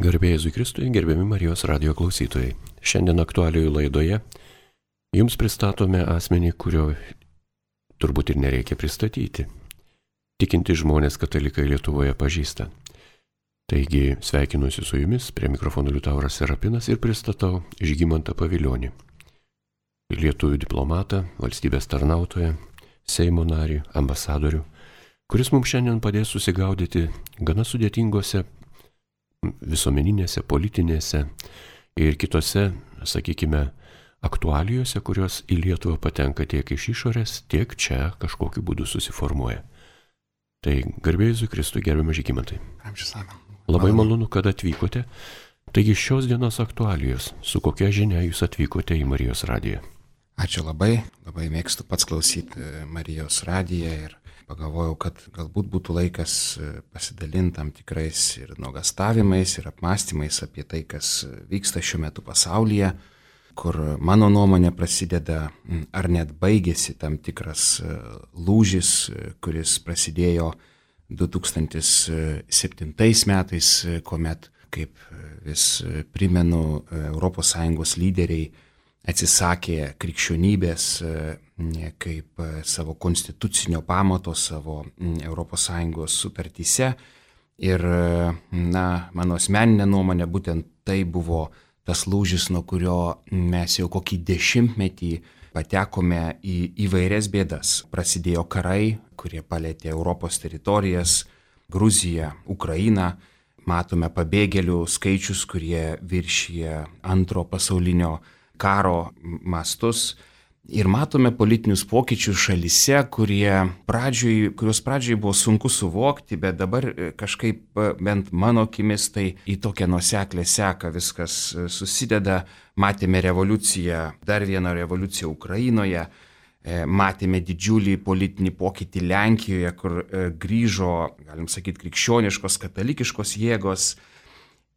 Garbė Jėzui Kristui, gerbiami Marijos radijo klausytojai. Šiandien aktualijų laidoje jums pristatome asmenį, kurio turbūt ir nereikia pristatyti. Tikinti žmonės katalikai Lietuvoje pažįsta. Taigi sveikinuosi su jumis, prie mikrofono Liutauras Serapinas ir pristatau Žygimantą Pavilionį. Lietuvių diplomatą, valstybės tarnautoją, Seimo narį, ambasadorių, kuris mums šiandien padės susigaudyti gana sudėtingose visuomeninėse, politinėse ir kitose, sakykime, aktualijose, kurios į Lietuvą patenka tiek iš išorės, tiek čia kažkokiu būdu susiformuoja. Tai garbė Jėzui Kristui, gerbiamas Žygimantai. Labai malonu, kad atvykote. Taigi šios dienos aktualijos, su kokia žinia jūs atvykote į Marijos radiją? Ačiū labai mėgstu pats klausyti Marijos radiją ir pagalvojau, kad galbūt būtų laikas pasidalinti tam tikrais ir nuogastavimais, ir apmąstymais apie tai, kas vyksta šiuo metu pasaulyje, kur mano nuomonė prasideda ar net baigėsi tam tikras lūžis, kuris prasidėjo 2007 metais, kuomet, kaip vis primenu, ES lyderiai atsisakė krikščionybės kaip savo konstitucinio pamato, savo ES sutartyse. Ir, mano asmeninė nuomonė, būtent tai buvo tas lūžis, nuo kurio mes jau kokį 10 metį patekome į įvairias bėdas. Prasidėjo karai, kurie palėtė Europos teritorijas, Gruziją, Ukrainą. Matome pabėgėlių skaičius, kurie viršija antro pasaulinio karo mastus ir matome politinius pokyčius šalyse, kuriuos pradžioj buvo sunku suvokti, bet dabar kažkaip, bent mano akimis, tai į tokią nuoseklę seką viskas susideda. Matėme revoliuciją, dar vieną revoliuciją Ukrainoje, matėme didžiulį politinį pokytį Lenkijoje, kur grįžo, galim sakyti, krikščioniškos, katalikiškos jėgos.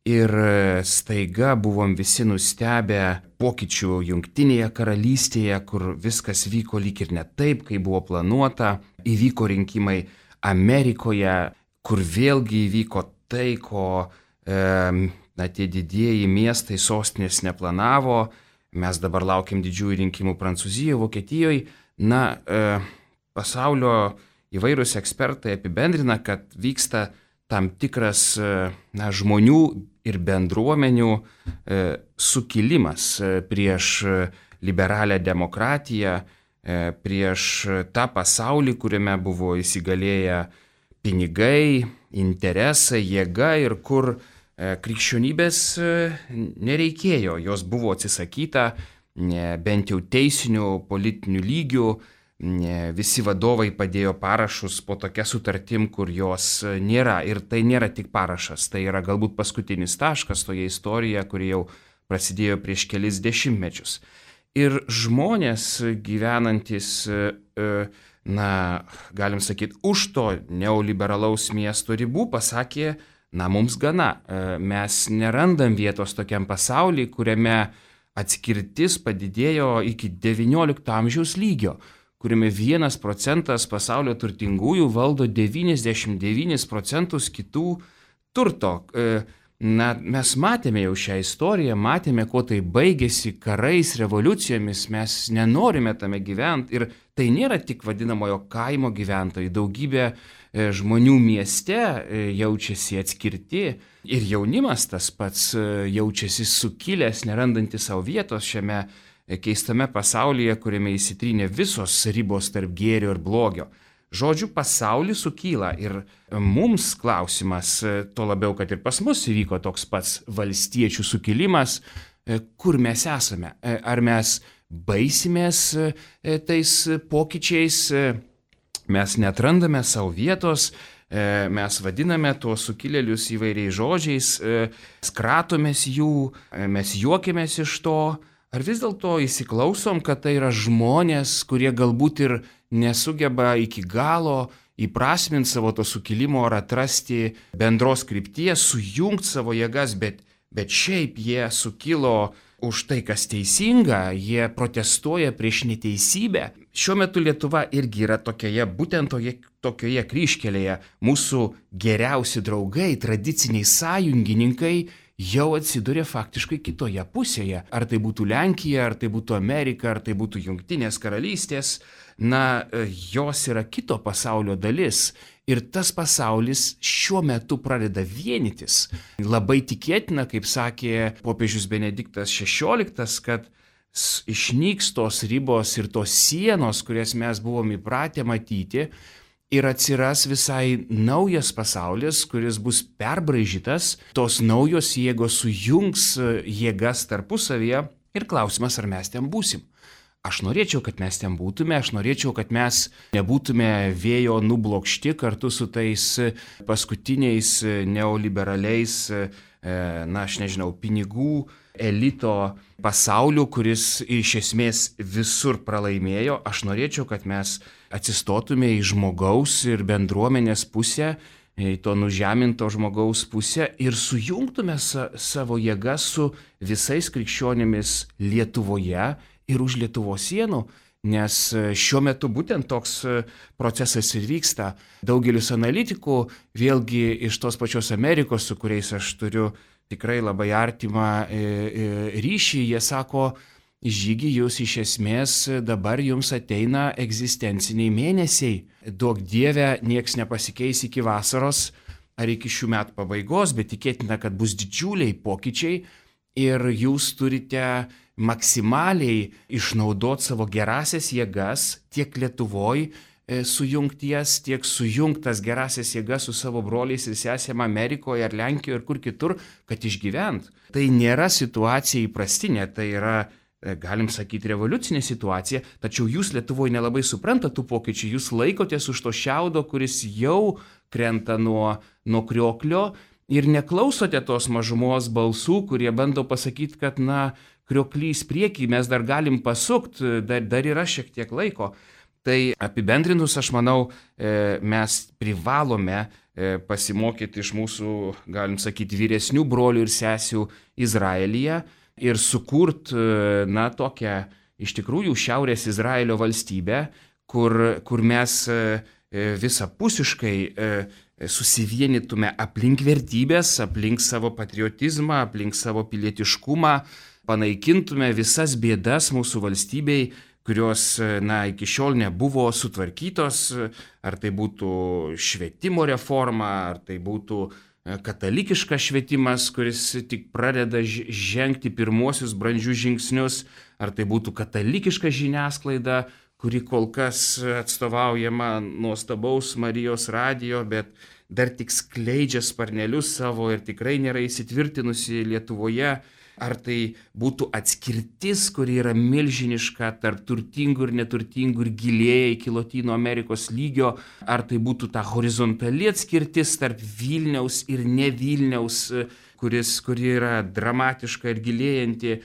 Ir staiga buvom visi nustebę pokyčių Jungtinėje karalystėje, kur viskas vyko lyg ir ne taip, kaip buvo planuota. Įvyko rinkimai Amerikoje, kur vėlgi įvyko tai, ko tie didieji miestai, sostinės neplanavo. Mes dabar laukiam didžiųjų rinkimų Prancūzijoje, Vokietijoje. Pasaulio įvairūs ekspertai apibendrina, kad vyksta tam tikras žmonių ir bendruomenių sukilimas prieš liberalią demokratiją, prieš tą pasaulį, kuriame buvo įsigalėję pinigai, interesai, jėga ir kur krikščionybės nereikėjo. Jos buvo atsisakyta bent jau teisinių, politinių lygių. Visi vadovai padėjo parašus po tokia sutartim, kur jos nėra. Ir tai nėra tik parašas, tai yra galbūt paskutinis taškas toje istorijoje, kuri jau prasidėjo prieš kelis dešimtmečius. Ir žmonės gyvenantis, galim sakyti, už to neoliberalaus miesto ribų pasakė, mums gana. Mes nerandam vietos tokiam pasauliui, kuriame atskirtis padidėjo iki 19 amžiaus lygio, kuriame 1% pasaulio turtingųjų valdo 99% kitų turto. Mes matėme jau šią istoriją, matėme, kuo tai baigėsi karais, revoliucijomis, mes nenorime tame gyventi. Ir tai nėra tik vadinamojo kaimo gyventojai, daugybė žmonių mieste jaučiasi atskirti ir jaunimas tas pats jaučiasi sukilęs, nerandantis savo vietos šiame keistame pasaulyje, kuriame įsitrynė visos ribos tarp gėrio ir blogio. Žodžiu, pasaulis sukyla ir mums klausimas, to labiau, kad ir pas mus įvyko toks pats valstiečių sukilimas, kur mes esame. Ar mes baisimės tais pokyčiais, mes neatrandame savo vietos, mes vadiname tuos sukilėlius įvairiais žodžiais, kratomės jų, mes juokiamės iš to. Ar vis dėlto įsiklausom, kad tai yra žmonės, kurie galbūt ir nesugeba iki galo įprasminti savo to sukilimo ar atrasti bendros krypties, sujungti savo jėgas, bet šiaip jie sukilo už tai, kas teisinga, jie protestuoja prieš neteisybę. Šiuo metu Lietuva irgi yra būtent tokioje kryžkelėje. Mūsų geriausi draugai, tradiciniai sąjungininkai jau atsiduria faktiškai kitoje pusėje. Ar tai būtų Lenkija, ar tai būtų Amerika, ar tai būtų Jungtinės karalystės, jos yra kito pasaulio dalis. Ir tas pasaulis šiuo metu pradeda vienytis. Labai tikėtina, kaip sakė popiežius Benediktas XVI, kad išnyks tos ribos ir tos sienos, kurias mes buvom įpratę matyti, ir atsiras visai naujas pasaulis, kuris bus perbraižytas, tos naujos jėgos sujungs jėgas tarpusavyje ir klausimas, ar mes ten būsim. Aš norėčiau, kad mes ten būtume, aš norėčiau, kad mes nebūtume vėjo nublokšti kartu su tais paskutiniais neoliberaliais, pinigų elito pasauliu, kuris iš esmės visur pralaimėjo. Aš norėčiau, kad mes atsistotume į žmogaus ir bendruomenės pusę, į to nužeminto žmogaus pusę ir sujungtume savo jėgas su visais krikščionimis Lietuvoje ir už Lietuvos sienų, nes šiuo metu būtent toks procesas ir vyksta. Daugelis analitikų, vėlgi iš tos pačios Amerikos, su kuriais aš turiu tikrai labai artimą ryšį, jie sako, Žygi, jūs iš esmės dabar jums ateina egzistenciniai mėnesiai. Duok Dieve, nieks nepasikeis iki vasaros ar iki šių metų pabaigos, bet tikėtina, kad bus didžiuliai pokyčiai ir jūs turite maksimaliai išnaudoti savo gerasias jėgas tiek Lietuvoje sujungties, tiek sujungtas gerasias jėgas su savo broliais ir sesėm Amerikoje ar Lenkijoje ir kur kitur, kad išgyvent. Tai nėra situacija įprastinė, tai yra, galim sakyti, revoliucinė situacija, tačiau jūs Lietuvoje nelabai suprantate tų pokyčių, jūs laikotės už to šiaudo, kuris jau krenta nuo krioklio ir neklausote tos mažumos balsų, kurie bando pasakyti, kad krioklys priekį, mes dar galim pasukti, dar yra šiek tiek laiko. Tai apibendrinus, aš manau, mes privalome pasimokyti iš mūsų, galim sakyti, vyresnių brolių ir sesių Izraelyje ir sukurti, tokią iš tikrųjų Šiaurės Izraelio valstybę, kur mes visapusiškai susivienytume aplink vertybės, aplink savo patriotizmą, aplink savo pilietiškumą, panaikintume visas bėdas mūsų valstybei, kurios iki šiol nebuvo sutvarkytos, ar tai būtų švietimo reforma, ar tai būtų katalikiškas švietimas, kuris tik pradeda žengti pirmuosius brandžius žingsnius, ar tai būtų katalikiška žiniasklaida, kuri kol kas atstovaujama nuostabaus Marijos radijo, bet dar tik skleidžia sparnelius savo ir tikrai nėra įsitvirtinusi Lietuvoje. Ar tai būtų atskirtis, kuri yra milžiniška tarp turtingų ir neturtingų ir gilėja iki Lotynų Amerikos lygio, ar tai būtų ta horizontali atskirtis tarp Vilniaus ir ne Vilniaus, kuri yra dramatiška ir gilėjanti,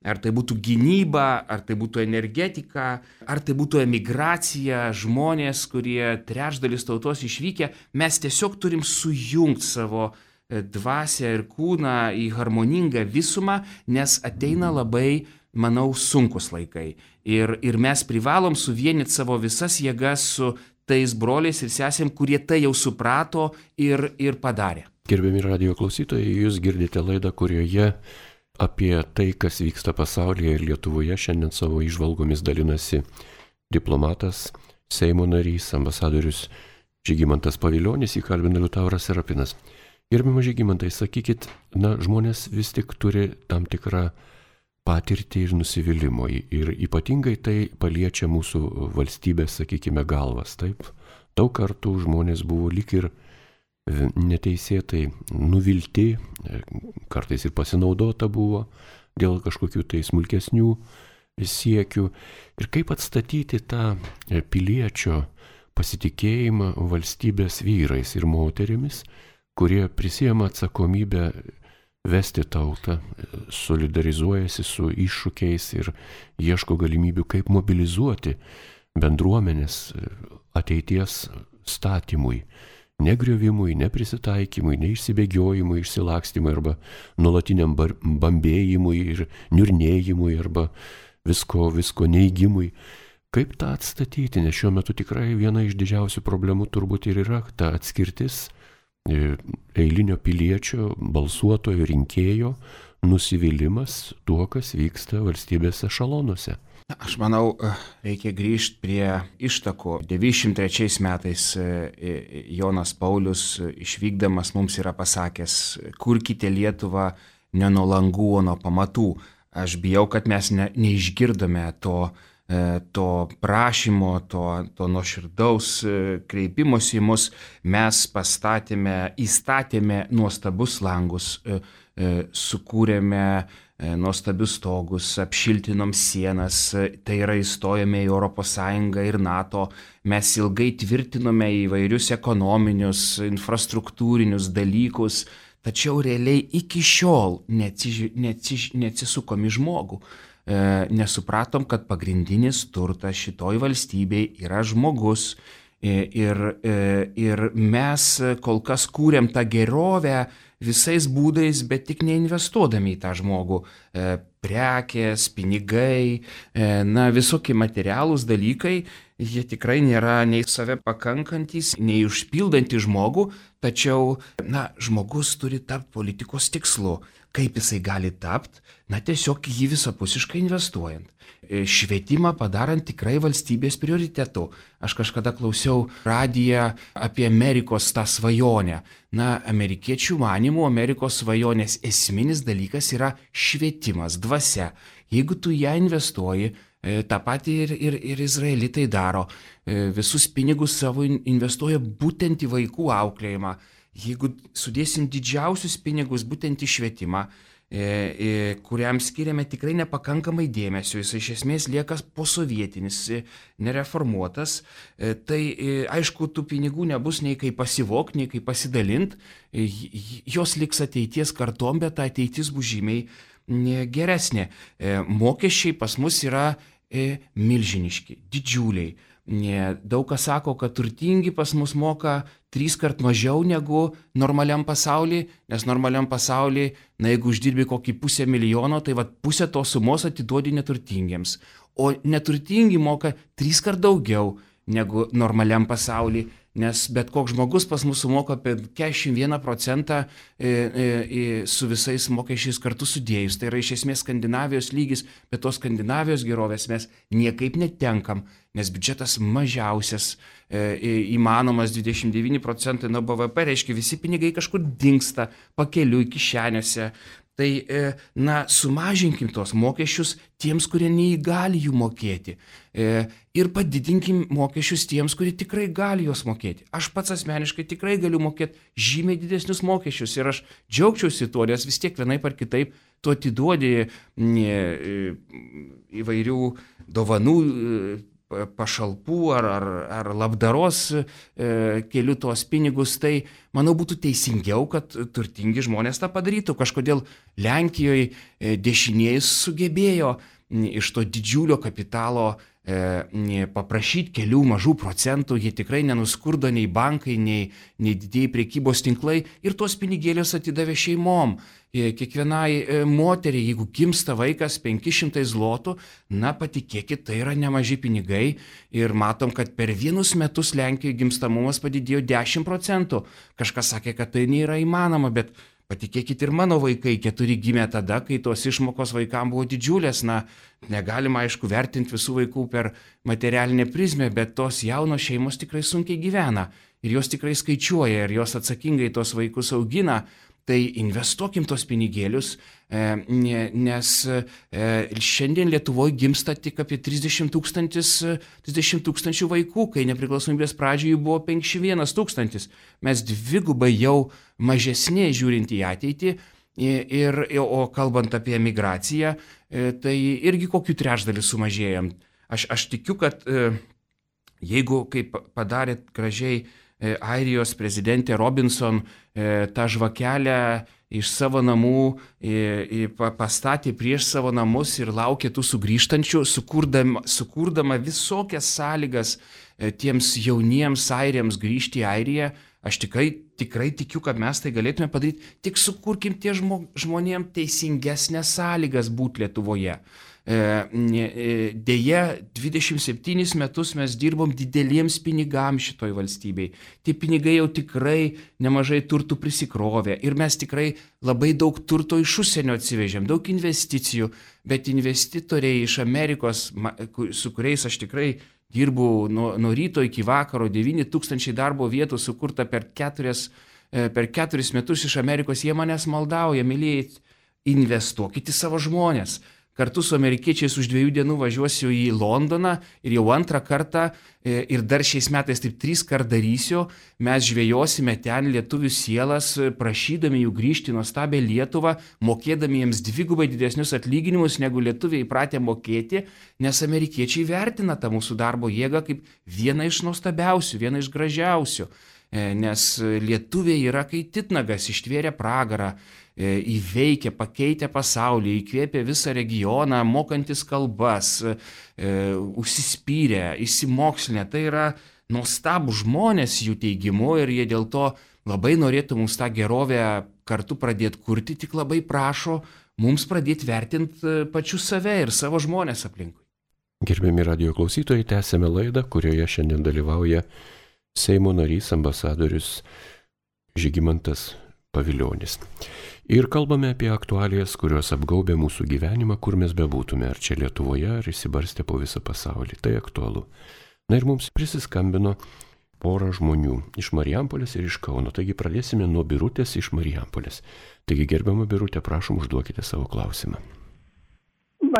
ar tai būtų gynyba, ar tai būtų energetika, ar tai būtų emigracija, žmonės, kurie trečdalis tautos išvykę, mes tiesiog turim sujungti savo dvasią ir kūną į harmoningą visumą, nes ateina labai, manau, sunkus laikai. Ir mes privalom suvienyti savo visas jėgas su tais broliais ir sesėm, kurie tai jau suprato ir padarė. Gerbiami radijo klausytojai, jūs girdite laidą, kurioje apie tai, kas vyksta pasaulyje ir Lietuvoje, šiandien savo įžvalgomis dalinasi diplomatas, Seimo narys, ambasadorius Žygimantas Pavilionis, jį kalbina Liutauras Serapinas. Gerbiamas Žygimantai, sakykit, žmonės vis tik turi tam tikrą patirtį ir nusivylimą ir ypatingai tai paliečia mūsų valstybės, sakykime, galvas, taip? Daug kartų žmonės buvo lyg ir neteisėtai nuvilti, kartais ir pasinaudota buvo dėl kažkokių tai smulkesnių siekių. Ir kaip atstatyti tą piliečio pasitikėjimą valstybės vyrais ir moterimis, kurie prisiema atsakomybę vesti tautą, solidarizuojasi su iššūkiais ir ieško galimybių, kaip mobilizuoti bendruomenės ateities statymui, negriovimui, neprisitaikymui, neišsibėgiojimui, išsilakstymui arba nuolatiniam bambėjimui ir niurnėjimui arba visko neigimui. Kaip tą atstatyti, nes šiuo metu tikrai viena iš didžiausių problemų turbūt ir yra ta atskirtis eilinio piliečio, balsuotojo, rinkėjo nusivylimas tuo, kas vyksta valstybės ešalonuose. Aš manau, reikia grįžti prie ištakų. 93 metais Jonas Paulius išvykdamas mums yra pasakęs, kurkite Lietuvą ne nuo langų, o nuo pamatų. Aš bijau, kad mes neišgirdome to prašymo, to nuoširdaus kreipimosi į mus. Mes įstatėme nuostabus langus, sukūrėme nuostabius stogus, apšiltinom sienas, tai yra įstojome į ES ir NATO, mes ilgai tvirtinome įvairius ekonominius, infrastruktūrinius dalykus, tačiau realiai iki šiol neatsisukom į žmogų. Nesupratom, kad pagrindinis turtas šitoj valstybei yra žmogus ir mes kol kas kūrėm tą gerovę visais būdais, bet tik neinvestuodami į tą žmogų. Prekės, pinigai, visokie materialūs dalykai, jie tikrai nėra nei save pakankantis, nei užpildantys žmogų, tačiau, žmogus turi tapti politikos tikslu. Kaip jisai gali tapti? Tiesiog jį visapusiškai investuojant. Švietimą padarant tikrai valstybės prioritetu. Aš kažkada klausiau radiją apie Amerikos tą svajonę. Amerikiečių manymų Amerikos svajonės esminis dalykas yra švietimas, dvasia. Jeigu tu ją investuoji, tą patį ir izraelitai daro. Visus pinigus savo investuoja būtent į vaikų auklėjimą. Jeigu sudėsim didžiausius pinigus būtent į švietimą, kuriam skiriame tikrai nepakankamai dėmesio, jis iš esmės lieka posovietinis, nereformuotas, tai aišku, tų pinigų nebus nei kaip pasivok, nei kaip pasidalint, jos liks ateities kartom, bet ateitis bus žymiai geresnė. Mokesčiai pas mus yra milžiniški, didžiuliai. Daug kas sako, kad turtingi pas mus moka 3 kart mažiau negu normaliam pasaulyje, nes normaliam pasaulyje, jeigu uždirbi kokį 500 000, tai pusę tos sumos atiduodi neturtingiems. O neturtingi moka 3 kart daugiau negu normaliam pasaulyje, nes bet koks žmogus pas mus sumoka apie 41% su visais mokesčiais kartu sudėjus. Tai yra iš esmės Skandinavijos lygis, bet tos Skandinavijos gerovės mes niekaip netenkam, nes biudžetas mažiausias įmanomas 29% nuo BVP, reiškia visi pinigai kažkur dingsta pakeliui kišenėse. Tai, sumažinkim tos mokesčius tiems, kurie neįgali jų mokėti. Ir padidinkim mokesčius tiems, kurie tikrai gali juos mokėti. Aš pats asmeniškai tikrai galiu mokėti žymiai didesnius mokesčius ir aš džiaugčiausi tuo, nes vis tiek vienaip ar kitaip tu atiduodi įvairių dovanų, pašalpų ar labdaros keliu tuos pinigus, tai manau būtų teisingiau, kad turtingi žmonės tą padarytų. Kažkodėl Lenkijoje dešinieji sugebėjo iš to didžiulio kapitalo paprašyti kelių mažų procentų, jie tikrai nenuskurdo nei bankai, nei didieji prekybos tinklai ir tuos pinigėlius atidavė šeimom. Kiekvienai moteriai, jeigu gimsta vaikas 500 zlotų, patikėkit, tai yra nemaži pinigai ir matom, kad per 1 metus Lenkijoje gimstamumas padidėjo 10%. Kažkas sakė, kad tai nėra įmanoma, bet patikėkit, ir mano vaikai 4 gimė tada, kai tos išmokos vaikams buvo didžiulės. Negalima, aišku, vertinti visų vaikų per materialinę prizmę, bet tos jaunos šeimos tikrai sunkiai gyvena ir jos tikrai skaičiuoja ir jos atsakingai tos vaikus augina. Tai investuokim tos pinigėlius, nes šiandien Lietuvoje gimsta tik apie 30 tūkstančių vaikų, kai nepriklausomybės pradžioje buvo 51 000. Mes dvigubai jau mažesnė žiūrint į ateitį, o kalbant apie emigraciją, tai irgi kokiu trečdaliu sumažėjom. Aš tikiu, kad jeigu, kaip padarė gražiai Airijos prezidentė Robinson, tą žvakelę iš savo namų pastatė prieš savo namus ir laukė tų sugrįžtančių, sukurdama visokias sąlygas tiems jauniems airiams grįžti į Airiją, Aš tikrai tikiu, kad mes tai galėtume padaryti, tik sukurkim tie žmonėm teisingesnės sąlygas būti Lietuvoje. Deja, 27 metus mes dirbom dideliems pinigams šitoj valstybei. Tie pinigai jau tikrai nemažai turtų prisikrovė ir mes tikrai labai daug turto iš užsienio atsivežėm, daug investicijų, bet investitoriai iš Amerikos, su kuriais aš tikrai dirbu nuo ryto iki vakaro, 9000 darbo vietų sukurta per 4 metus iš Amerikos, jie manęs maldauja, mylėjai, investuokit į savo žmonės. Kartu su amerikiečiais už 2 dienų važiuosiu į Londoną ir jau 2 kartą ir dar šiais metais taip 3 kart darysiu. Mes žvejosime ten lietuvių sielas, prašydami jų grįžti į nuostabią Lietuvą, mokėdami jiems 2 didesnius atlyginimus, negu lietuviai įpratę mokėti, nes amerikiečiai vertina tą mūsų darbo jėgą kaip vieną iš nuostabiausių, vieną iš gražiausių. Nes lietuviai yra kai titnagas, ištvėrė pragarą, įveikę, pakeitę pasaulį, įkvėpė visą regioną, mokantis kalbas, užsispyrę, įsimokslinę. Tai yra nuostabų žmonės jų teigimu ir jie dėl to labai norėtų mums tą gerovę kartu pradėti kurti, tik labai prašo mums pradėti vertinti pačius save ir savo žmonės aplinkui. Gerbiami radijo klausytojai, tęsėme laidą, kurioje šiandien dalyvauja Seimo narys ambasadorius Žygimantas Pavilionis. Ir kalbame apie aktualijas, kurios apgaubė mūsų gyvenimą, kur mes bebūtume, ar čia Lietuvoje, ar įsibarstę po visą pasaulį. Tai aktualu. Na ir mums prisiskambino pora žmonių iš Marijampolės ir iš Kauno. Taigi pradėsime nuo Birutės iš Marijampolės. Taigi gerbiama Birutė, prašom, užduokite savo klausimą.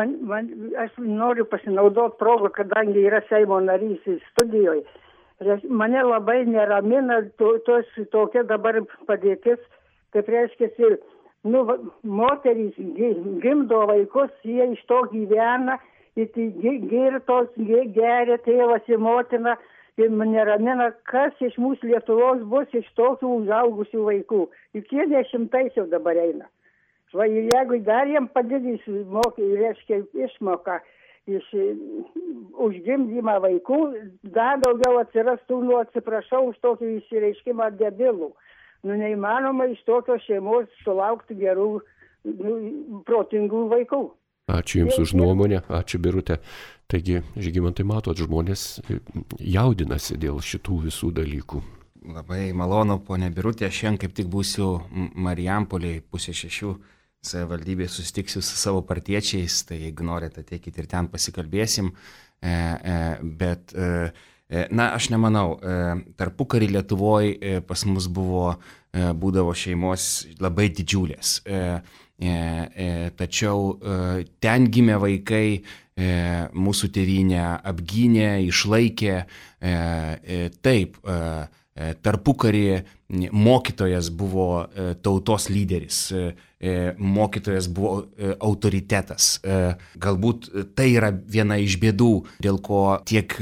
Aš noriu pasinaudoti progą, kadangi yra Seimo narys studijoje. Mane labai neramina tokia dabar padėtis, kaip reiškia, moterys gimdo vaikus, jie iš to gyvena, girtos, geria tėvas ir motina, ir mane neramina, kas iš mūsų Lietuvos bus iš tokių užaugusių vaikų. Juk jie 10 jau dabar eina. Jeigu dar jiem padidys išmoką iš užgimdymą vaikų, dar daugiau atsirastų, atsiprašau už tokį išsireiškimą, debilų. Neįmanoma iš tokios šeimos sulaukti gerų, protingų vaikų. Ačiū Jums už nuomonę, ačiū Birutė. Taigi, Žygimantai, matot, žmonės jaudinasi dėl šitų visų dalykų. Labai malonu, ponė Birutė, šiandien kaip tik būsiu Marijampolėje 5:30 savivaldybėje, susitiksiu su savo partiečiais, tai jeigu norite, ateikit ir ten pasikalbėsim, bet aš nemanau, tarpukarį Lietuvoje pas mus būdavo šeimos labai didžiulės, tačiau ten gimę vaikai mūsų tėvynę apgynė, išlaikė, taip, tarpukarį mokytojas buvo tautos lyderis, mokytojas buvo autoritetas. Galbūt tai yra viena iš bėdų, dėl ko tiek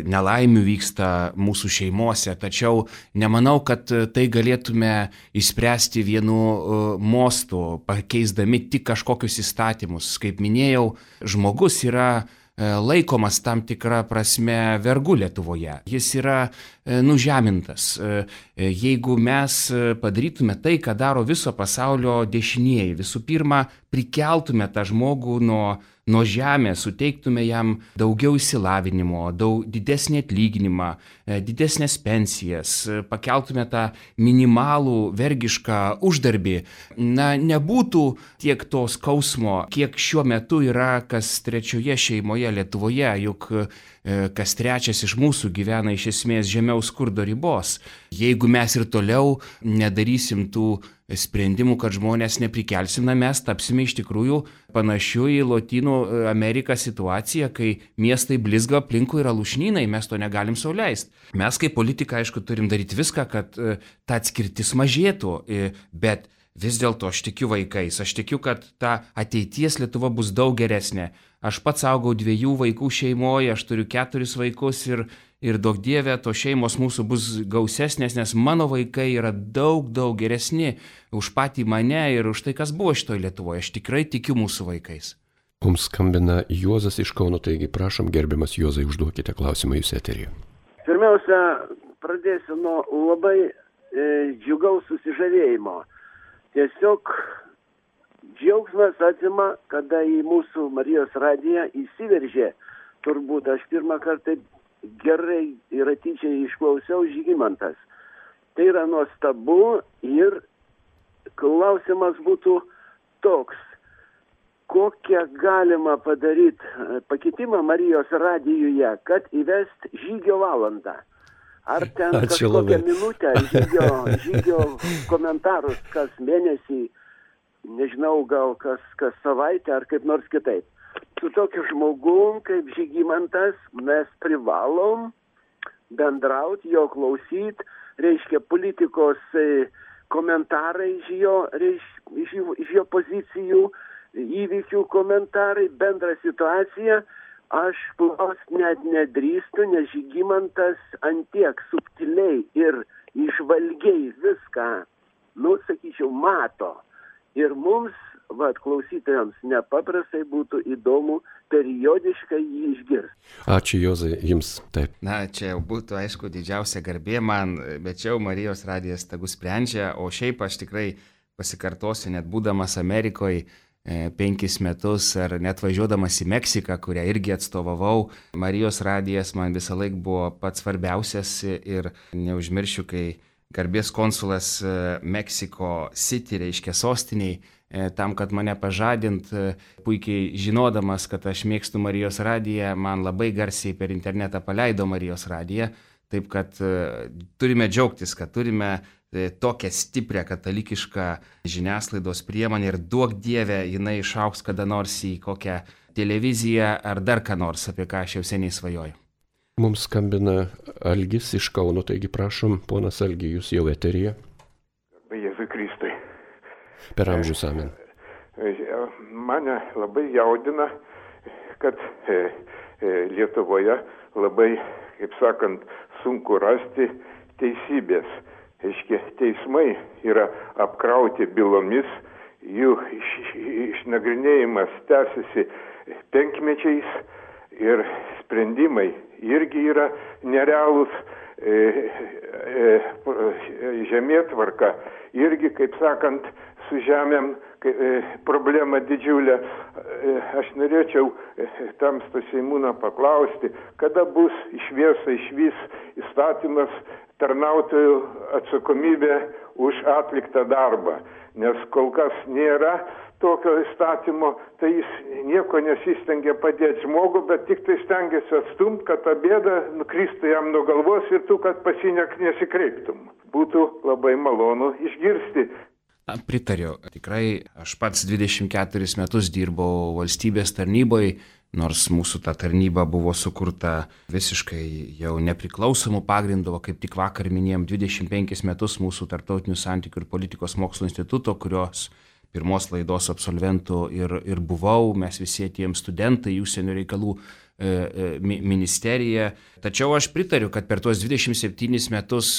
nelaimių vyksta mūsų šeimose, tačiau nemanau, kad tai galėtume išspręsti vienu mostu, pakeisdami tik kažkokius įstatymus. Kaip minėjau, žmogus yra laikomas tam tikrą prasme vergu Lietuvoje. Jis yra nužemintas. Jeigu mes padarytume tai, ką daro viso pasaulio dešinieji, visų pirma, prikeltume tą žmogų nuo žemės, suteiktume jam daugiau išsilavinimo, didesnį atlyginimą, didesnės pensijas, pakeltume tą minimalų vergišką uždarbį, nebūtų tiek to skausmo, kiek šiuo metu yra kas 3 šeimoje Lietuvoje, juk kas 3 iš mūsų gyvena iš esmės žemiau skurdo ribos. Jeigu mes ir toliau nedarysim tų sprendimų, kad žmonės neprikelsim, mes tapsime iš tikrųjų panašių į Lotynų Ameriką situaciją, kai miestai blizga, aplinkui yra lūšnynai, mes to negalim sau leisti. Mes kaip politikai, aišku, turim daryti viską, kad ta atskirtis mažėtų, bet vis dėlto aš tikiu vaikais, aš tikiu, kad ta ateities Lietuva bus daug geresnė. Aš pats augau 2 vaikų šeimoje, aš turiu 4 vaikus ir daug dievė, to šeimos mūsų bus gausesnės, nes mano vaikai yra daug geresni už patį mane ir už tai, kas buvo šitoj Lietuvoje. Aš tikrai tikiu mūsų vaikais. Mums skambina Juozas iš Kauno, taigi prašom, gerbiamas Juozai, užduokite klausimą jūs eteryje. Pirmiausia, pradėsiu nuo labai džiugaus susižavėjimo. Tiesiog džiaugsmas atima, kada į mūsų Marijos radiją įsiveržė. Turbūt aš pirmą kartą gerai ir atidžiai išklausiau Žygimantas. Tai yra nuostabu ir klausimas būtų toks. Kokią galima padaryti pakitimą Marijos radijuje, kad įvest žygio valandą? Ar ten kažkokią minutę žygio komentarus kas mėnesį, nežinau, gal kas savaitę ar kaip nors kitaip. Su tokiu žmogum kaip Žygimantas mes privalom bendrauti, jo klausyti, reiškia politikos komentarai iš jo pozicijų, įvykių komentarai, bendra situacija. Aš klaust net nedrįstu, nes Žygimantas antiek subtiliai ir išvalgiai viską, sakyčiau, mato. Ir mums, klausytojams, nepaprastai būtų įdomu periodiškai jį išgirsti. Ačiū, Juozai, jums taip. Na, čia jau būtų, aišku, didžiausia garbė man, bet čia jau Marijos radijas tegu sprendžia, o šiaip aš tikrai pasikartosiu, net būdamas Amerikoje 5 metus ar net važiuodamas į Meksiką, kurią irgi atstovavau, Marijos radijas man visą laiką buvo pats svarbiausias ir neužmiršiu, kai garbės konsulas Meksiko City, reiškia sostiniai, tam, kad mane pažadint, puikiai žinodamas, kad aš mėgstu Marijos radiją, man labai garsiai per internetą paleido Marijos radiją, taip kad turime džiaugtis, kad turime tokią stiprią katalikišką žiniasklaidos priemonę ir duok Dieve, jinai išaugs kada nors į kokią televiziją ar dar ką nors, apie ką aš jau seniai svajoju. Mums skambina Algis iš Kauno, taigi prašom, ponas Algi, jūs jau eteryje. Jėzui Kristui. Per amžius amen. Mane labai jaudina, kad Lietuvoje labai, kaip sakant, sunku rasti teisybės. Aiškiai, teismai yra apkrauti bylomis, jų išnagrinėjimas tęsiasi 5 ir sprendimai irgi yra nerealūs, žemėtvarka irgi, kaip sakant, su žemėm problema didžiulė. Aš norėčiau Tamsto Seimūną paklausti, kada bus išvys įstatymas tarnautojų atsakomybė už atliktą darbą, nes kol kas nėra tokio įstatymo, tai jis nieko nesistengia padėti žmogų, bet tik tai stengiasi atstumti, kad ta bėda nukristų jam nuo galvos ir tu, kad pasinek nesikreiptum. Būtų labai malonu išgirsti. Pritariu. Tikrai aš pats 24 metus dirbau valstybės tarnyboje, nors mūsų ta tarnyba buvo sukurta visiškai jau nepriklausomų pagrindų, kaip tik vakar minėjom 25 metus mūsų tarptautinių santykių ir politikos mokslo instituto, kurios pirmos laidos absolventų ir buvau, mes visi atėjom studentai į užsienio reikalų ministeriją. Tačiau aš pritariu, kad per tuos 27 metus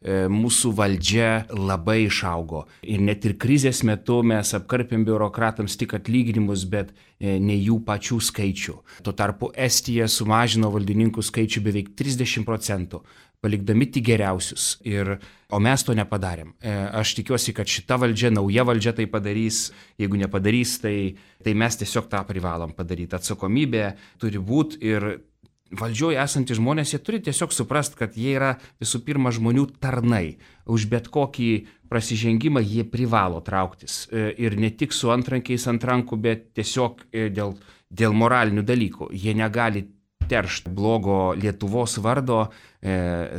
mūsų valdžia labai išaugo. Ir net ir krizės metu mes apkarpėm biurokratams tik atlyginimus, bet ne jų pačių skaičių. Tuo tarpu Estija sumažino valdininkų skaičių beveik 30%. Palikdami tik geriausius. O mes to nepadarėm. Aš tikiuosi, kad šita valdžia, nauja valdžia tai padarys. Jeigu nepadarys, tai mes tiesiog tą privalom padaryti. Atsakomybė turi būti ir valdžioje esantys žmonės, jie turi tiesiog suprast, kad jie yra visų pirma žmonių tarnai. Už bet kokį prasižengimą jie privalo trauktis. Ir ne tik su antrankiais ant rankų, bet tiesiog dėl moralinių dalykų. Jie negali teršti blogo Lietuvos vardo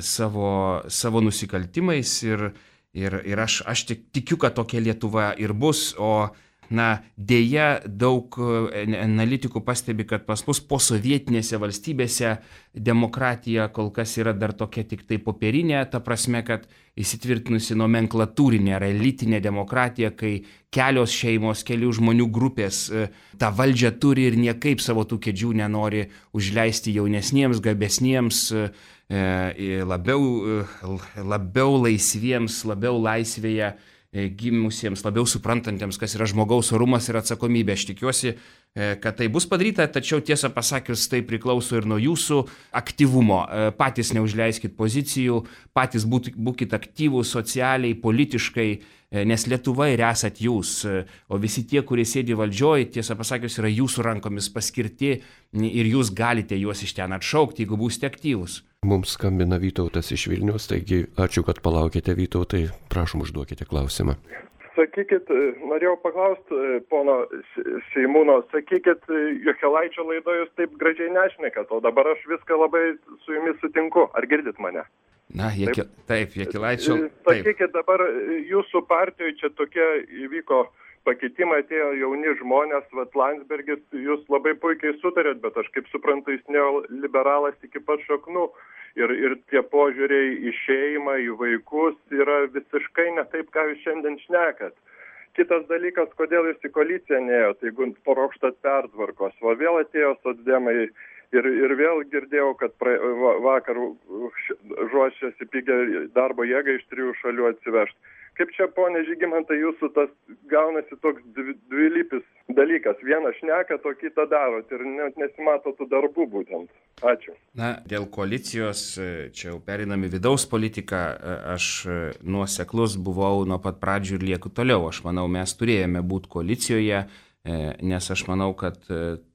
savo nusikaltimais ir aš tikiu, kad tokia Lietuva ir bus, o dėja daug analitikų pastebi, kad pas mus posovietinėse valstybėse demokratija kol kas yra dar tokia tik tai popierinė, ta prasme, kad įsitvirtinusi nomenklatūrinė ar elitinė demokratija, kai kelios šeimos, kelių žmonių grupės tą valdžią turi ir niekaip savo tų kėdžių nenori užleisti jaunesniems, gabesniems, labiau laisviems, labiau laisvėje gimusiems, labiau suprantantiems, kas yra žmogaus orumas ir atsakomybė. Aš tikiuosi, kad tai bus padaryta, tačiau tiesą pasakius, tai priklauso ir nuo jūsų aktyvumo. Patys neužleiskit pozicijų, patys būkit aktyvūs socialiai, politiškai, nes Lietuva ir esat jūs, o visi tie, kurie sėdi valdžioj, tiesą pasakius, yra jūsų rankomis paskirti ir jūs galite juos iš ten atšaukti, jeigu būsite aktyvūs. Mums skambina Vytautas iš Vilniaus, taigi ačiū, kad palaukite, Vytautai, prašom užduokite klausimą. Sakykit, norėjau paklausti pono Seimūno, sakykit, Jokėlaičio laidoje jūs taip gražiai nešnekat, o dabar aš viską labai su jumis sutinku. Ar girdit mane? Na, taip, Jokėlaičio. Sakykit, dabar jūsų partijoje čia tokie įvyko pakitimai, atėjo jauni žmonės, Landsbergis, jūs labai puikiai sutarėt, bet aš kaip suprantu, jis neoliberalas iki pat šaknų. Ir tie požiūriai į šeimą, į vaikus yra visiškai ne taip, ką jūs šiandien šnekat. Kitas dalykas, kodėl jūs į koaliciją neėjot, jeigu paruoštat pertvarkos. Va vėl atėjo socdemai ir vėl girdėjau, kad vakar ruošiasi pigią darbo jėgą iš 3 šalių atsivežti. Kaip čia, ponė Žygimantai, jūsų tas gaunasi toks dvilypis dalykas. Vieną šnekat, o kitą darot ir net nesimato tų darbų būtent. Ačiū. Na, dėl koalicijos, čia jau perinami vidaus politiką, aš nuoseklus buvau nuo pat pradžių ir lieku toliau. Aš manau, mes turėjome būti koalicijoje, nes aš manau, kad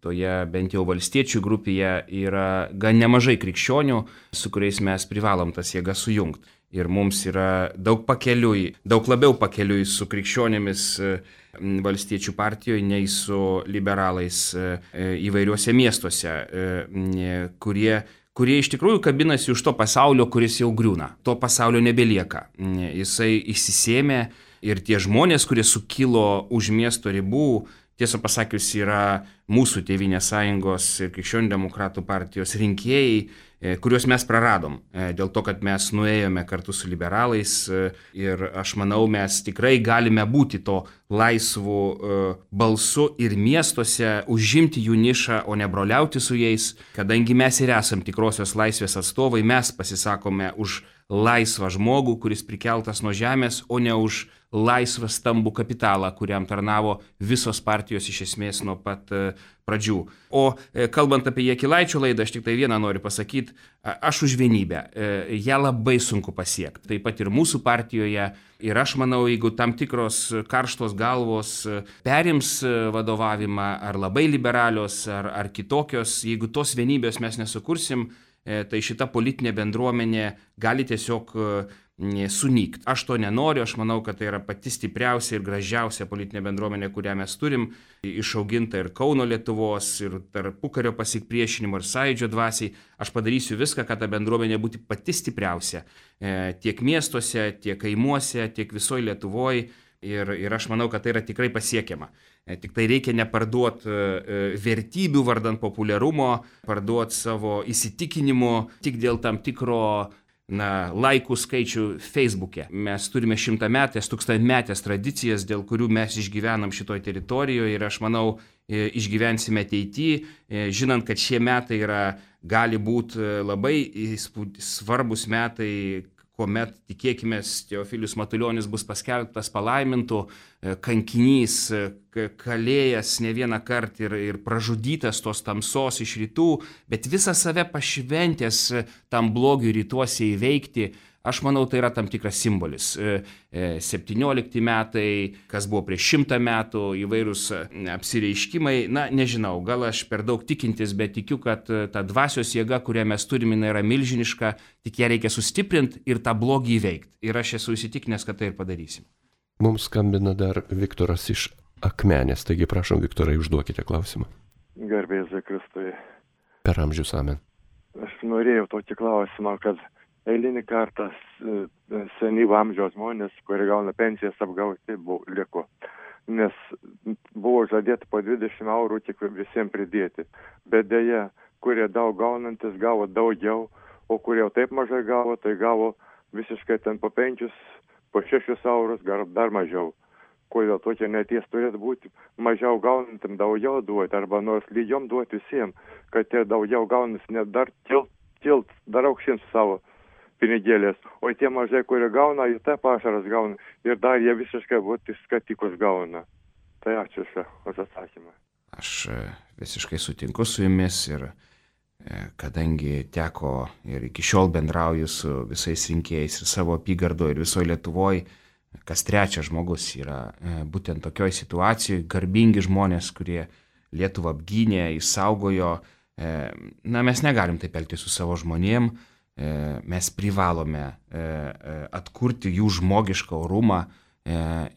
toje bent jau valstiečių grupėje yra gan nemažai krikščionių, su kuriais mes privalom tas jėgas sujungti. Ir mums yra daug labiau pakeliui su krikščionėmis valstiečių partijoje, nei su liberalais įvairiuose miestuose, kurie iš tikrųjų kabinasi už to pasaulio, kuris jau griūna. To pasaulio nebelieka. Jisai išsisėmė ir tie žmonės, kurie sukilo už miesto ribų, tiesą pasakius, yra mūsų Tėvynės sąjungos ir Krikščionių demokratų partijos rinkėjai, kuriuos mes praradom, dėl to, kad mes nuėjome kartu su liberalais ir aš manau, mes tikrai galime būti to laisvų balsu ir miestuose, užimti jų nišą, o ne broliauti su jais, kadangi mes ir esam tikrosios laisvės atstovai, mes pasisakome už laisvą žmogų, kuris prikeltas nuo žemės, o ne už laisvą stambų kapitalą, kuriam tarnavo visos partijos iš esmės nuo pat pradžių. O kalbant apie Jokėlaičio laidą, aš tik tai vieną noriu pasakyti, aš už vienybę. Ją labai sunku pasiekti. Taip pat ir mūsų partijoje. Ir aš manau, jeigu tam tikros karštos galvos perims vadovavimą, ar labai liberalios, ar kitokios, jeigu tos vienybės mes nesukursim, tai šita politinė bendruomenė gali tiesiog sunykt. Aš to nenoriu, aš manau, kad tai yra pati stipriausia ir gražiausia politinė bendruomenė, kurią mes turim, išauginta ir Kauno Lietuvos, ir tarpukario pasipriešinimo, ir sąjūdžio dvasiai. Aš padarysiu viską, kad ta bendruomenė būtų pati stipriausia. Tiek miestuose, tiek kaimuose, tiek visoje Lietuvoje. Ir aš manau, kad tai yra tikrai pasiekiama. Tik tai reikia neparduoti vertybių vardan populiarumo, parduoti savo įsitikinimu tik dėl tam tikro laikų skaičių Facebook'e. Mes turime 100-metės, 1000-metės tradicijas, dėl kurių mes išgyvenam šitoj teritorijoje ir aš manau, išgyvensime ateityje, žinant, kad šie metai gali būti labai svarbus metai, kuomet, tikėkime, Teofilius Matulionis bus paskelbtas palaimintu, kankinys, kalėjęs ne vieną kartą ir pražudytas tos tamsos iš rytų, bet visą save pašventęs tam blogiui rytuose įveikti. Aš manau, tai yra tam tikras simbolis. 17 metai, kas buvo prieš 100 metų, įvairūs apsireiškimai. Na, nežinau, gal aš per daug tikintis, bet tikiu, kad ta dvasios jėga, kurią mes turime, yra milžiniška, tik ją reikia sustiprinti ir tą blogį įveikti. Ir aš esu įsitikinęs, kad tai ir padarysim. Mums skambina dar Viktoras iš Akmenės, taigi prašom, Viktorai, užduokite klausimą. Garbė Jėzui Kristui. Per amžius amen. Aš norėjau tokį klausimą, kad eilinį kartą senyvo amžiaus žmonės, kurie gauna pensijas apgauti, liko. Nes buvo žadėta po 20 eurų tik visiems pridėti. Bet dėja, kurie daug gaunantis gavo daugiau, o kurie jau taip mažai gavo, tai gavo visiškai ten po 5, po 6 eurus, dar mažiau. Kodėl tokia neties turėtų būti mažiau gaunantim daugiau duoti, arba nors lygiom duoti visiems, kad tie daugiau gaunantis net dar tilt dar aukštyn savo pinigėlės, o tie mažai, kurie gauna, jie tą pašaras gauna ir dar jie visiškai skatikus gauna. Tai ačiū už atsakymą. Aš visiškai sutinku su jumis ir kadangi teko ir iki šiol bendrauju su visais rinkėjais ir savo apygardoje ir visoje Lietuvoje, kas trečias žmogus yra būtent tokioj situacijoje, garbingi žmonės, kurie Lietuvą apgynė, išsaugojo. Mes negalim taip elgtis su savo žmonėm, mes privalome atkurti jų žmogišką orumą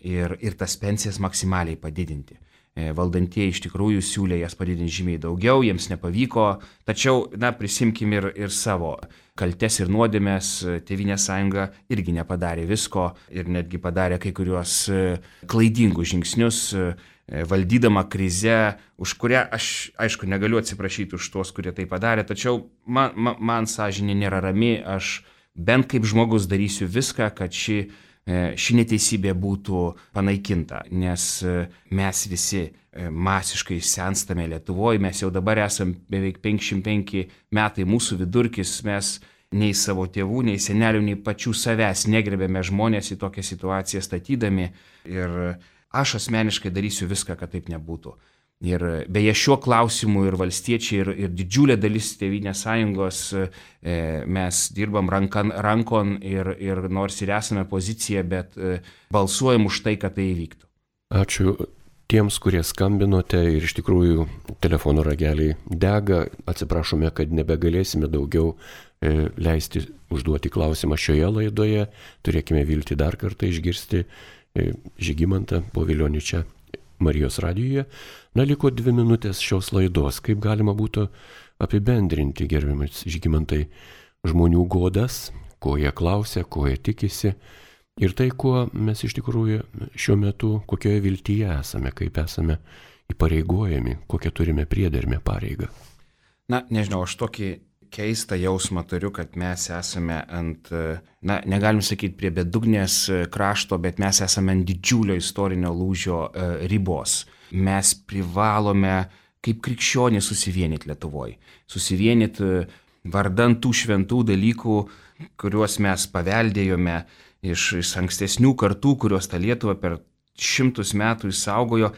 ir tas pensijas maksimaliai padidinti. Valdantieji iš tikrųjų siūlė jas padidinti žymiai daugiau, jiems nepavyko, tačiau prisimkim ir savo kaltes ir nuodėmės. Tėvynės sąjunga irgi nepadarė visko ir netgi padarė kai kuriuos klaidingus žingsnius, valdydama krizę, už kurią aš, aišku, negaliu atsiprašyti už tuos, kurie tai padarė, tačiau man sąžinė nėra rami, aš bent kaip žmogus darysiu viską, kad ši neteisybė būtų panaikinta, nes mes visi masiškai senstame Lietuvoje, mes jau dabar esame beveik 55 metai, mūsų vidurkis, mes nei savo tėvų, nei senelių, nei pačių savęs negrebėme žmonės į tokią situaciją statydami ir aš asmeniškai darysiu viską, kad taip nebūtų. Ir beje šiuo klausimu ir valstiečiai ir didžiulė dalis Tėvynės sąjungos mes dirbam rankon ir nors ir esame pozicija, bet balsuojam už tai, kad tai įvyktų. Ačiū tiems, kurie skambinote ir iš tikrųjų telefono rageliai dega. Atsiprašome, kad nebegalėsime daugiau leisti užduoti klausimą šioje laidoje. Turėkime viltį dar kartą išgirsti Žygimantą Povilionį čia Marijos radijoje. Liko 2 minutės šios laidos. Kaip galima būtų apibendrinti, gerbiamas Žygimantai, žmonių godas, ko jie klausia, ko jie tikisi ir tai, kuo mes iš tikrųjų šiuo metu, kokioje viltyje esame, kaip esame įpareigojami, kokią turime priedermę pareigą. Nežinau, aš tokį keistą jausmą turiu, kad mes esame ant, negalim sakyti prie bedugnės krašto, bet mes esame ant didžiulio istorinio lūžio ribos. Mes privalome kaip krikščionys susivienyti Lietuvoje. Susivienyti vardan tų šventų dalykų, kuriuos mes paveldėjome iš ankstesnių kartų, kurios tą Lietuvą per 100 metų išsaugojo.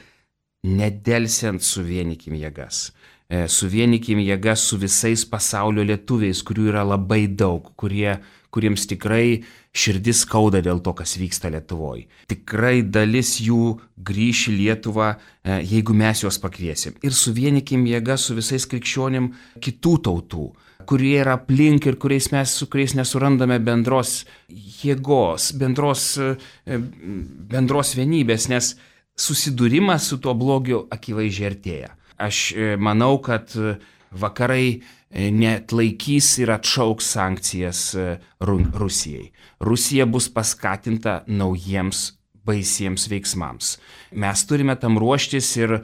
Nedelsiant suvienykim jėgas. Suvienykim jėgas su visais pasaulio lietuviais, kurių yra labai daug, kuriems tikrai širdis skauda dėl to, kas vyksta Lietuvoje. Tikrai dalis jų grįš į Lietuvą, jeigu mes juos pakviesim. Ir suvienykim jėgas su visais krikščionim kitų tautų, kurie yra aplink ir su kuriais nesurandame bendros jėgos, bendros vienybės, nes susidūrimas su tuo blogiu akivaizdžiai artėja. Aš manau, kad vakarai neatlaikys ir atšauks sankcijas Rusijai. Rusija bus paskatinta naujiems baisiems veiksmams. Mes turime tam ruoštis ir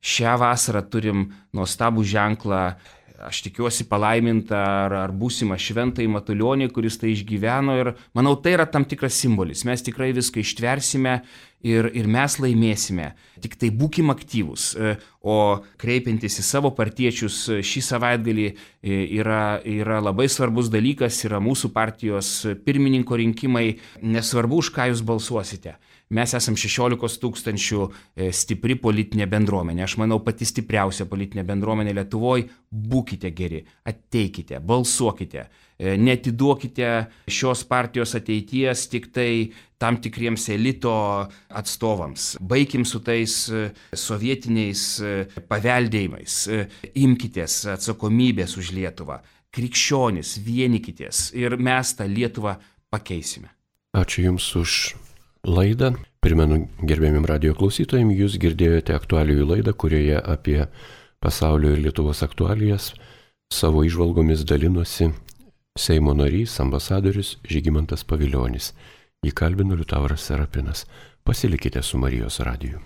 šią vasarą turim nuostabų ženklą, aš tikiuosi palaimintą ar būsimą šventąjį Matulionį, kuris tai išgyveno ir manau, tai yra tam tikras simbolis. Mes tikrai viską ištversime ir mes laimėsime. Tik tai būkim aktyvūs, o kreipiantis į savo partiečius šį savaitgalį yra labai svarbus dalykas, yra mūsų partijos pirmininko rinkimai, nesvarbu, už ką jūs balsuosite. Mes esam 16 000 stipri politinė bendruomenė. Aš manau, pati stipriausia politinė bendruomenė Lietuvoje. Būkite geri, ateikite, balsuokite. Netiduokite šios partijos ateities tik tai tam tikriems elito atstovams. Baikim su tais sovietiniais paveldėjimais. Imkitės atsakomybės už Lietuvą. Krikščionys, vienykitės ir mes tą Lietuvą pakeisime. Ačiū Jums už laidą. Primenu gerbiamim radijo klausytojim, Jūs girdėjote aktualijų laidą, kurioje apie pasaulio ir Lietuvos aktualijas savo įžvalgomis dalinosi Seimo narys, ambasadorius Žygimantas Pavilionis. Jį kalbino Liutauras Serapinas. Pasilikite su Marijos radiju.